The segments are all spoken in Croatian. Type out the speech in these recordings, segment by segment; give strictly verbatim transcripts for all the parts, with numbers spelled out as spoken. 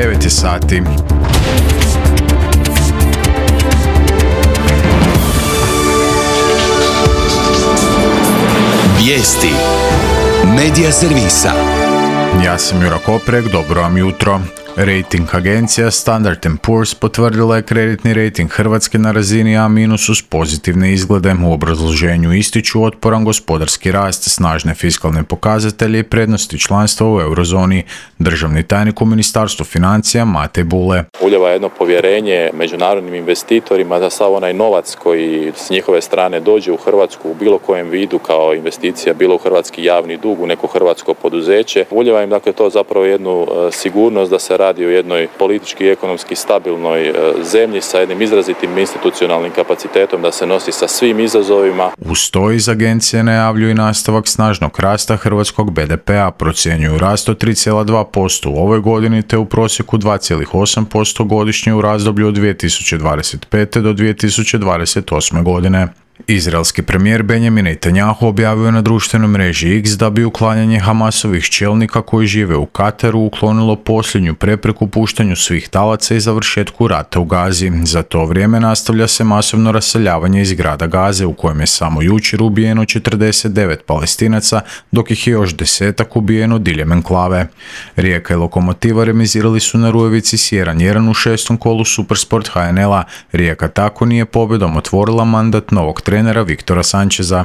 devet je sati. Vijesti Medija servisa. Ja sam Jura Koprek, dobro vam jutro. Rating agencija Standard and Poor's potvrdila je kreditni rating Hrvatske na razini A- uz pozitivne izglede. U obrazloženju ističu otporan gospodarski rast, snažne fiskalne pokazatelje i prednosti članstva u eurozoni. Državni tajnik u Ministarstvu financija Matej Bule. Ulijeva jedno povjerenje međunarodnim investitorima da sav onaj novac koji s njihove strane dođe u Hrvatsku u bilo kojem vidu kao investicija, bilo u hrvatski javni dug, u neko hrvatsko poduzeće. Ulijeva im dakle to zapravo jednu uh, sigurnost da se radi o jednoj politički i ekonomski stabilnoj zemlji sa jednim izrazitim institucionalnim kapacitetom da se nosi sa svim izazovima. Uz to iz agencije najavljuju i nastavak snažnog rasta hrvatskog be de pe a, procjenjuju rast od tri zarez dva posto u ovoj godini te u prosjeku dva zarez osam posto godišnje u razdoblju od dvije tisuće dvadeset pete do dvije tisuće dvadeset osme godine. Izraelski premijer Benjamin Netanjahu objavio na društvenoj mreži X da bi uklanjanje Hamasovih čelnika koji žive u Kataru uklonilo posljednju prepreku puštanju svih talaca i završetku rata u Gazi. Za to vrijeme nastavlja se masovno raseljavanje iz grada Gaze u kojem je samo jučer ubijeno četrdeset devet Palestinaca, dok ih je još desetak ubijeno diljem enklave. Rijeka i Lokomotiva remizirali su na Rujevici s jedan jedan u šestom kolu Supersport ha en el-a. Rijeka tako nije pobjedom otvorila mandat novog trenera Viktora Sančeza.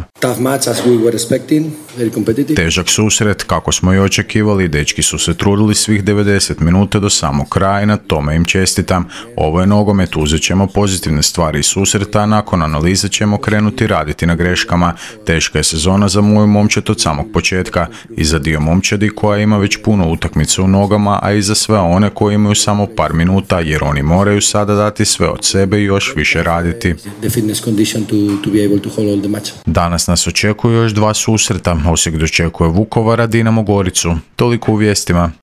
Težak susret, kako smo i očekivali, dečki su se trudili svih devedeset minuta do samog kraja i na tome im čestitam. Ovo je nogomet, uzet ćemo pozitivne stvari iz susreta, a nakon analize ćemo krenuti raditi na greškama. Teška je sezona za moju momčad od samog početka i za dio momčadi koja ima već puno utakmica u nogama, a i za sve one koji imaju samo par minuta, jer oni moraju sada dati sve od sebe i još više raditi. Danas nas očekuju još dva susreta. Osijek dočekuje Vukovara, Dinamo Goricu. Toliko u vijestima.